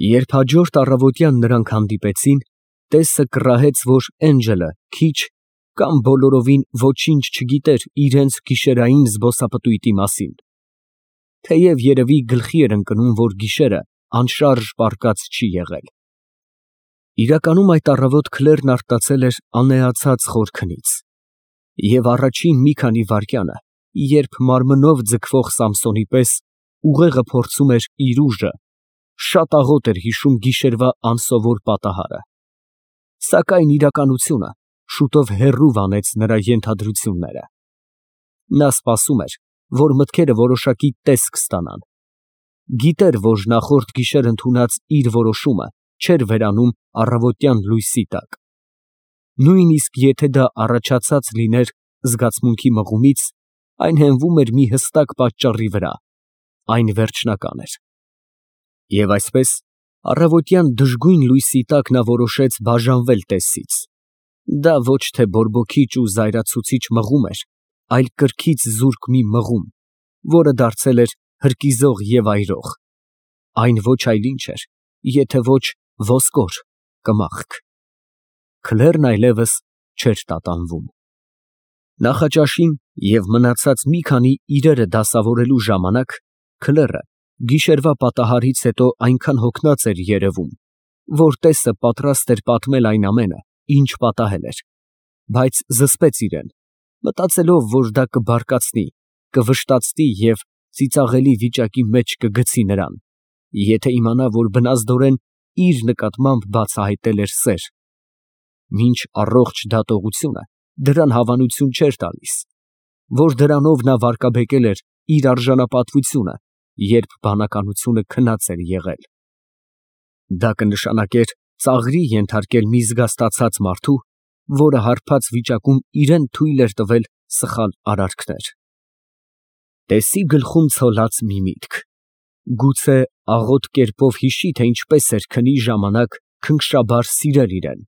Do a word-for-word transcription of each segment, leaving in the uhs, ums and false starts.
Երբ հաջորդ առավոտյան նրանք հանդիպեցին, տեսը կռահեց, որ Էնջելը քիչ կամ բոլորովին ոչինչ չգիտեր իրենց գիշերային զբոսապտույտի մասին, թեև երևի գլխի էր ընկնում, որ գիշերը անշարժ պառկած չի եղել։ Իրականում այդ առավոտ Քլերն արտացել էր անեացած խոր քնից, և առաջին մի քանի վայրկյանը, երբ մարմնով ձգվող Սամսոնի պես ուղեղը փորձում էր իր ուժը, շատ աղոտ էր հիշում գիշերվա անսովոր պատահարը, սակայն իրականությունը շուտով հեռու վանեց նրա ենթադրությունները։ Նա սպասում էր, որ մտքերը որոշակի տեսք ստանան, գիտեր, որ նախորդ գիշեր ընդունած իր որոշումը չէր վերանում առավոտյան լույսի տակ։ Նույնիսկ եթե դա առաջացած լիներ զգացմունքի մղումից, այն հենվում էր մի հստակ պատճառի վրա, այն վերջնական էր։ Եվ այսպես, առավոտյան դժգույն լույսի տակ նա որոշեց բաժանվել տեսից։ Դա ոչ թե բորբոքիչ ու զայրացուցիչ մղում էր, այլ կրքից զուրկ մի մղում, որը դարձել էր հրկիզող և այրող, այն ոչ այլ ինչ էր, եթե ոչ ոսկոր, կմախք։ Քլերն այլևս չէր տատանվում։ Նախաճաշին և մնացած մի քանի իրերը դասավորելու ժամանակ Քլերը գիշերվա պատահարից հետո այնքան հոգնած էր երևում, որ տեսը պատրաստ էր պատմել այն ամենը, ինչ պատահել էր, բայց զսպեց իրեն, մտածելով, որ դա կբարկացնի, կվշտացնի և ծիծաղելի վիճակի մեջ կգցի նրան, եթե իմանա, որ բնազդորեն իր նկատմամբ բացահայտել էր սեր, մինչ առողջ դատողությունը դրան հավանություն չէր տալիս, որ դրանով նա վարկաբեկել էր իր արժանապատվությունը, երբ բանականությունը քնած էր եղել։ Դա կնշանակեր ծաղրի ենթարկել մի զգաստացած մարդու, որը հարբած վիճակում իրան թույլ էր տվել սխալ արարքներ։ Տեսի գլխում ցոլած մի միտք, գուցե աղոտ կերպով հիշի, թե ինչպես էր քնի ժամանակ քնքշաբար սիրել իրան,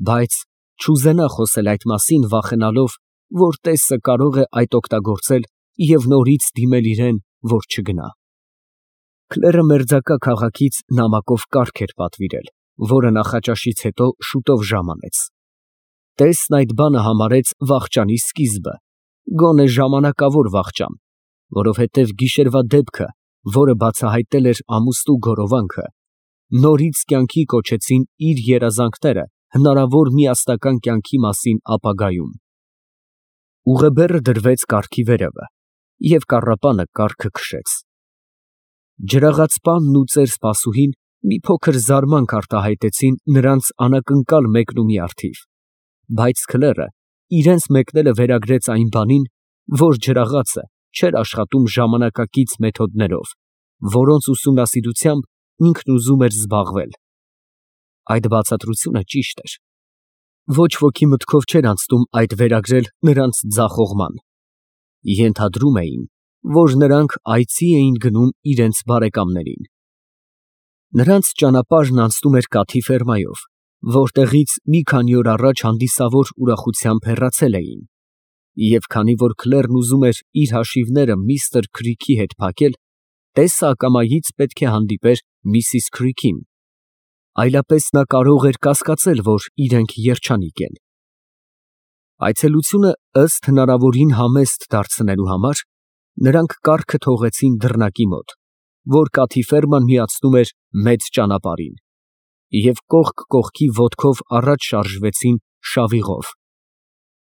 բայց չուզենա խոսել այդ մասին, վախենալով, որ տեսը կարող է այդ օգտագործել և նորից դիմել իրան, որ չգնա։ Քլերը մերձակա քաղաքից նամակով կառք էր պատվիրել, որը նախաճաշից հետո շուտով ժամանեց։ Տեսն այդ բանը համարեց վախճանի սկիզբը, գոնե ժամանակավոր վախճան, որովհետև գիշերվա դեպքը, որը բացահայտել էր ամուսնու գորովանքը, նորից կյանքի կոչեցին իր երազանքները հնարավոր միասնական կյանքի մասին ապագայում։ Ուղեբեռը դրվեց կառքի վերևը, և կառապանը կառքը քշեց։ Ջրաղացպանն ու ծեր սպասուհին մի փոքր զարմանք արտահայտեցին նրանց անակնկալ մեկնումի առթիվ, բայց Քլերը իրենց մեկնելը վերագրեց այն բանին, որ ջրաղացը չէր աշխատում ժամանակակից մեթոդներով, որոնց ուսումնասիրությամբ ինքն ուզում էր զբաղվել։ Այդ բացատրությունը ճիշտ էր։ Ոչ ոքի մտքով չէր անցնում այդ վերագրել նրանց ձախողման։ Ենթադրում էին, որ նրանք այցի էին գնում իրենց բարեկամներին։ Նրանց ճանապարհն անցնում էր կաթի ֆերմայով, որտեղից մի քանի օր առաջ հանդիսավոր ուրախությամբ հեռացել էին, և քանի որ Քլերն ուզում էր իր հաշիվները միստր Քրիքի հետ փակել, տեսը ակամայից պետք է հանդիպեր միսիս Քրիքին, այլապես նա կարող էր կասկածել, որ իրենք երջանիկ են։ Այցելությունը ըստ հնարավորին համեստ դարձնելու համար նրանք կառքը թողեցին դռնակի մոտ, որ կաթի ֆերման միացնում էր մեծ ճանապարհին, և կողք կողքի ոտքով առաջ շարժվեցին շավիղով։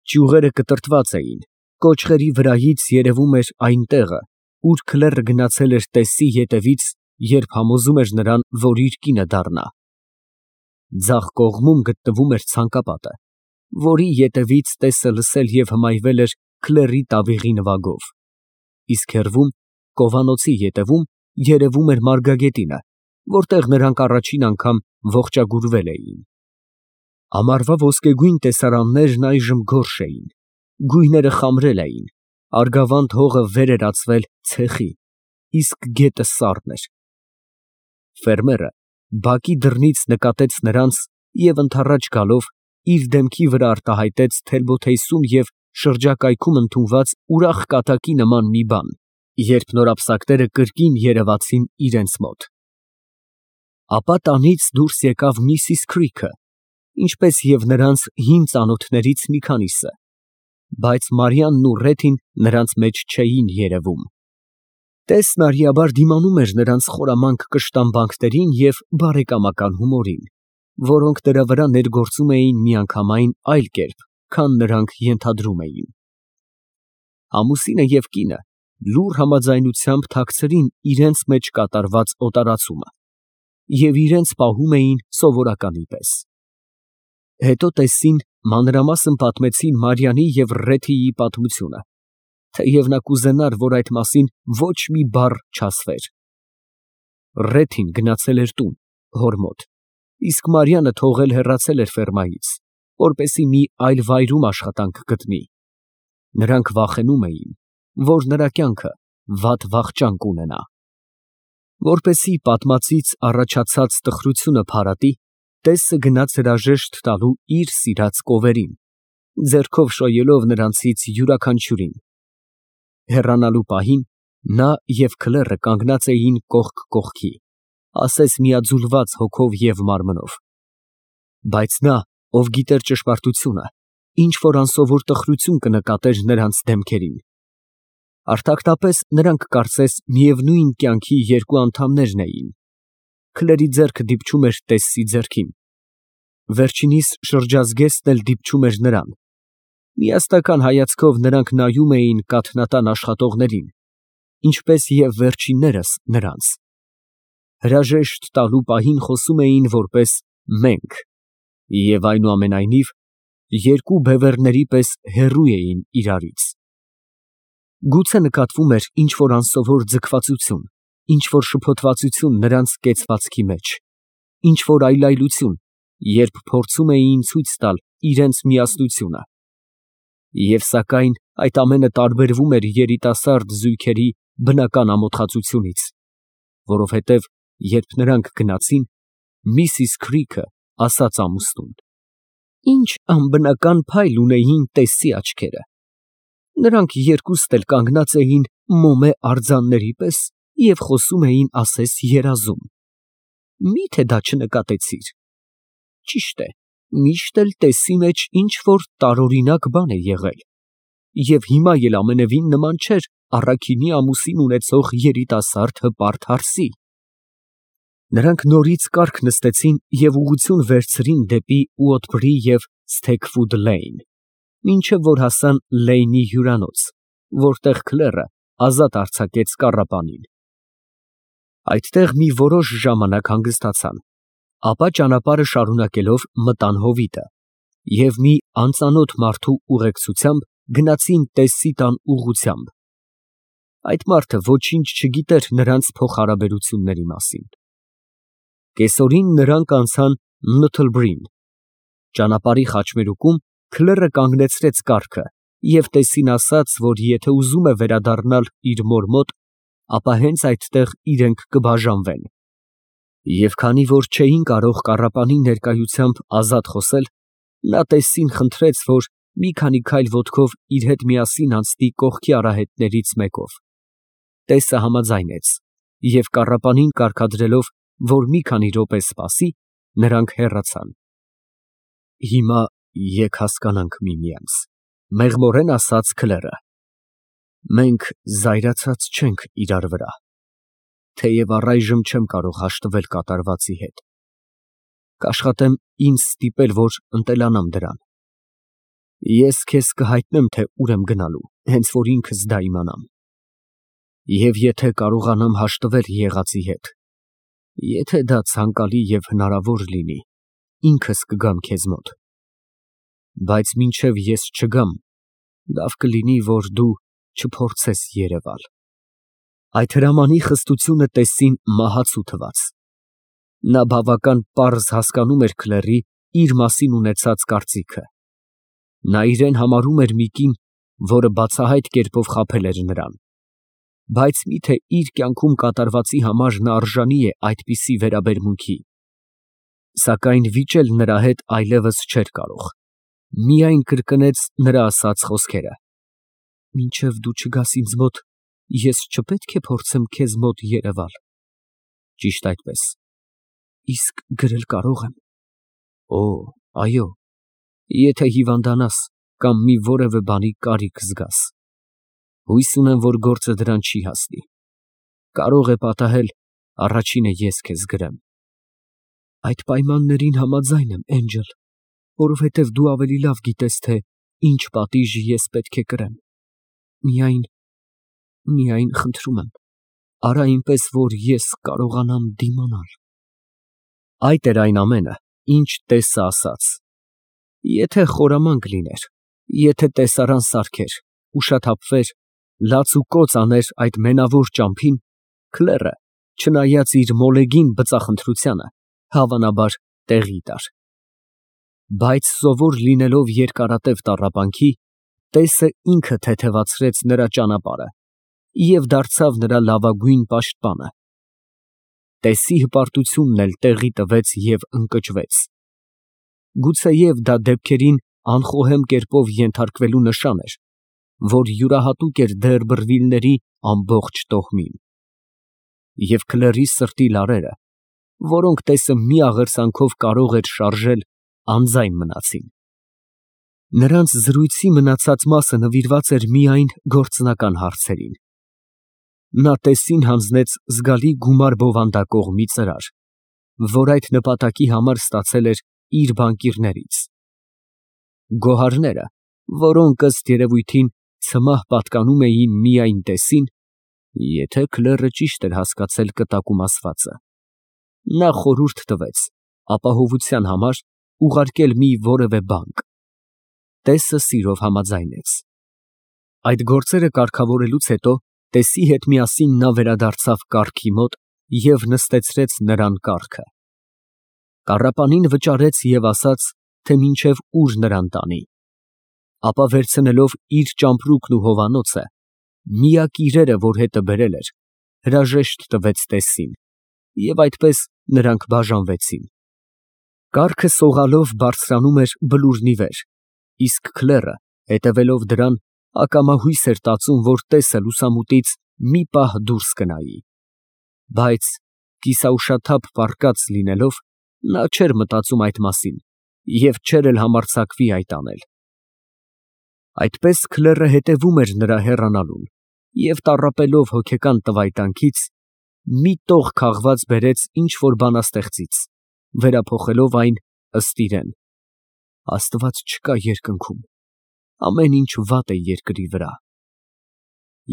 Ճյուղերը կտրտված էին, կոճղերի վրայից երևում էր այն տեղը, ուր Քլերը գնացել էր տեսի ետևից, երբ համոզում էր նրան, որ իր կինը դառնա։ Ձախ կողմում գտնվում էր ցանկապատը, որի ետևից տեսը լսել և հմայվել էր Քլերի տավիղի նվագով, իսկ հեռվում, կովանոցի ետևում, երևում էր մարգագետինը, որտեղ նրանք առաջին անգամ ողջագուրվել էին։ Ամառվա ոսկեգույն տեսարաններն այժմ գորշ էին, գույները խամրել էին, արգավանդ հողը վեր էր ածվել ցեխի, իսկ գետը սառն էր։ Ֆերմերը բակի դռնից նկատեց նրանց և ընդառաջ գալով իր դեմքի վրա արտահայտեց թելբոթեյսում և շրջակայքում ընդունված ուրախ կատակի նման մի բան, երբ նորապսակները կրկին երևացին իրենց մոտ։ Ապա տանից դուրս եկավ միսիս Քրիքը, ինչպես և նրանց հին ծանոթներից մի քանիսը, բայց Մարիամն ու Ռեթին նրանց մեջ չէին երևում։ Տեսն արիաբար դիմանում էր նրանց խորամանկ կշտամբանքներին և բարեկամական հումորին, որոնք նրա վրա ներգործում էին միանգամայն այլ կերպ, քան նրանք ենթադրում էին։ Ամուսինը և կինը լուռ համաձայնությամբ թաքցրին իրենց մեջ կատարված օտարացումը և իրենց պահում էին սովորականի պես։ Հետո տեսին, մանրամասն պատմեցին Մարիամի և Ռեթիի պատմությունը, թեև նա կուզենար, որ այդ մասին ոչ մի բառ չասվեր։ Ռեթին գնացել էր տուն, հոր մոտ, իսկ Մարիամը թողել հեռացել էր ֆերմայից, որպեսզի մի այլ վայրում աշխատանք գտնի։ Նրանք վախենում էին, որ նրա կյանքը վատ վախճան կունենա։ Որպեսզի պատմածից առաջացած տխրությունը փարատի, տեսը գնաց հրաժեշտ տալու իր սիրած կովերին, ձեռքով շոյելով նրանցից յուրաքանչյուրին։ Հեռանալու պահին նա և քլեռը կանգնած էին կողք կողքի, ասես միաձուլված հոգով և մարմնով։ Բայց նա, ով գիտեր ճշմարտությունը, ինչ֊որ անսովոր տխրություն կնկատեր նրանց դեմքերին։ Արդյակտապես նրանք կարծես միևնույն կյանքի երկու անդամներն էին։ Քլերի ձեռքը դիպչում էր տեսի ձեռքին, վերջինիս շրջազգեստն էլ դիպչում էր նրան։ Միասնական հայացքով նրանք նայում էին կաթնատան աշխատողներին, ինչպես և վերջիններս նրանց։ Հրաժեշտ տալու պահին խոսում էին որպես մենք և այնուամենայնիվ երկու բևեռների պես հեռու էին իրարից։ Գուցե նկատվում էր ինչ֊որ անսովոր ձգվածություն, ինչ֊որ շփոթվածություն նրանց կեցվածքի մեջ, ինչ֊որ այլայլություն, երբ փորձում էին ցույց տալ իրենց միասնությունը։ Եվ սակայն այդ ամենը տարբերվում էր երիտասարդ զույգերի բնական ամոթխածությունից, որովհետև երբ նրանք գնացին, միսիս Քրիքը ասաց ամուսնուն. «Ինչ անբնական փայլ ունեին տեսի աչքերը։ Նրանք երկուստ էլ կանգնած էին մոմե արձանների պես և խոսում էին ասես երազում։ Մի՞թե դա չնկատեցիր։ Ճիշտ է, միշտ էլ տեսի մեջ ինչ֊որ տարօրինակ բան է եղել, և հիմա էլ ամենևին նման չէր առաքինի ամուսին ունեցող երիտասարդ հպարտ հարսի»։ Նրանք նորից կառք նստեցին և ուղղություն վերցրին դեպի Ուոտբրի և Սթեքվուդ Լեյն, մինչև որ հասան Լեյնի հյուրանոց, որտեղ քլեռը ազատ արձակեց կառապանին։ Այդտեղ մի որոշ ժամանակ հանգստացան, ապա ճանապարհը շարունակելով մտան հովիտը և մի անծանոթ մարդու ուղեկցությամբ գնացին տեսի տան ուղղությամբ։ Այդ մարդը ոչինչ չգիտեր նրանց փոխհարաբերությունների մասին։ Կեսօրին նրանք անցան Նոթլբրին։ Ճանապարհի խաչմերուկում քլեռը կանգնեցրեց կառքը և տեսին ասաց, որ եթե ուզում է վերադառնալ իր մոր մոտ, ապա հենց այդտեղ իրենք կբաժանվեն։ Եվ քանի որ չէին կարող կառապանի ներկայությամբ ազատ խոսել, նա տեսին խնդրեց, որ մի քանի քայլ ոտքով իր հետ միասին անցնի կողքի արահետներից մեկով։ Տեսը համաձայնեց, և կառապանին կարգադրելով, որ մի քանի րոպե սպասի, նրանք հեռացան։ Հիմա եկ հասկանանք միմյանց, ֊ մեղմորեն ասաց քլեռը։ Մենք զայրացած չենք իրար վրա, թեև առայժմ չեմ կարող հաշտվել կատարվածի հետ։ Կաշխատեմ ինձ ստիպել, որ ընտելանամ դրան։ Ես քեզ կհայտնեմ, թե ուր եմ գնալու, հենց որ ինքս դա իմանամ։ Եվ եթե կարողանամ հաշտվել եղածի հետ, եթե դա ցանկալի և հնարավոր լինի, ինքս կգամ քեզ մոտ։ Բայց մինչև ես չգամ, լավ կլինի, որ դու չփորձես երևալ։ Այդ հրամանի խստությունը տեսին մահացու թվաց։ Նա բավական պարզ հասկանում էր քլեռի իր մասին ունեցած կարծիքը։ Նա իրեն համարում էր մի կին, որը բացահայտ կերպով խաբել էր նրան։ Բայց մի՞թե իր կյանքում կատարվածի համար նա արժանի է այդպիսի վերաբերմունքի։ Սակայն վիճել նրա հետ այլևս չէր կարող, միայն կրկնեց նրա ասած խոսքերը. «Մինչև դու չգաս ինձ մոտ, ես չպետք է փորձեմ քեզ մոտ երևալ»։ Ճիշտ այդպես։ Իսկ գրել կարող եմ։ Օ, այո, եթե հիվանդանաս կամ մի որևէ բանի կարիք զգաս։ Հույս ունեմ, որ գործը դրան չի հասնի։ Կարող է պատահել, առաջինը ես քեզ գրեմ։ Այդ պայմաններին համաձայն եմ, Էնջել, որովհետև դու ավելի լավ գիտես, թե ինչ պատիժ ես պետք է կրեմ։ Միայն, միայն խնդրում եմ, արա այնպես, որ ես կարողանամ դիմանալ։ Այդ էր այն ամենը, ինչ Տեսը ասաց։ Եթե խորամանկ լիներ, եթե տեսարան սարքեր, ուշաթափվեր, լաց ու կոծ աներ այդ մենավոր ճամփին, Քլերը, չնայած իր մոլեգին բծախնդրությանը, հավանաբար տեղի տար։ Բայց սովոր լինելով երկարատև տառապանքի, Տեսը ինքը թեթևացրեց նրա ճանապարհը և դարձավ նրա լավագույն պաշտպանը։ Տեսի հպարտությունն էլ տեղի տվեց և ընկճվեց։ Գուցեև դա դեպքերին անխոհեմ կերպով ենթարկվելու նշան էր, որ յուրահատուկ էր Դերբրվիլների ամբողջ տոհմին։ Եվ Քլերի սրտի լարերը, որոնք Տեսը մի աղերսանքով կարող էր շարժել, անձայն մնացին։ Նրանց զրույցի մնացած մասը նվիրված էր միայն գործնական հարցերին։ Նա Տեսին հանձնեց զգալի գումար բովանդակող մի ծրար, որ այդ նպատակի համար ստացել էր իր բանկիրներից։ Գոհարները, որոնք ըստ երևույթին ցմահ պատկանում էին միայն Տեսին, եթե Քլերը ճիշտ էր հասկացել կտակում ասվածը, նա խորհուրդ տվեց ապահովության համար ուղարկել մի որևէ բանկ։ Տեսը սիրով համաձայնեց։ Այդ գործերը կարգավորելուց հետո Տեսի հետ միասին նա վերադարձավ կառքի մոտ և նստեցրեց նրան կառքը։ Կառապանին վճարեց և ասաց, թե մինչև ուր նրան տանի։ Ապա վերցնելով իր ճամպրուկն ու հովանոցը, միակ իրերը, որ հետը բերել էր, հրաժեշտ տվեց Տեսին, և այդպես նրանք բաժանվեցին։ Կառքը սողալով բարձրանում էր բլուրն ի վեր, իսկ Քլերը, հետևելով դրան, ակամա հույս էր տածում, որ Տեսը լուսամուտից մի պահ դուրս կնայի։ Բայց կիսաուշաթափ պառկած լինելով, նա չէր մտածում այդ մասին և չէր էլ համարձակվի այդ անել։ Այդպես Քլերը հետևում էր նրա հեռանալուն և տառապելով հոգեկան տվայտանքից, մի տող քաղված բերեց ինչ֊որ բանաստեղծից, վերափոխելով այն ըստ իրեն. Աստված չկա երկնքում, ամեն ինչ վատ է երկրի վրա։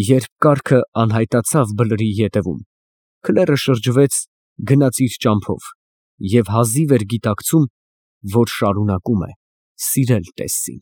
Երբ կառքը անհայտացավ բլրի ետևում, Քլերը շրջվեց, գնաց իր ճամփով և հազիվ էր գիտակցում, որ շարունակում է սիրել Տեսին։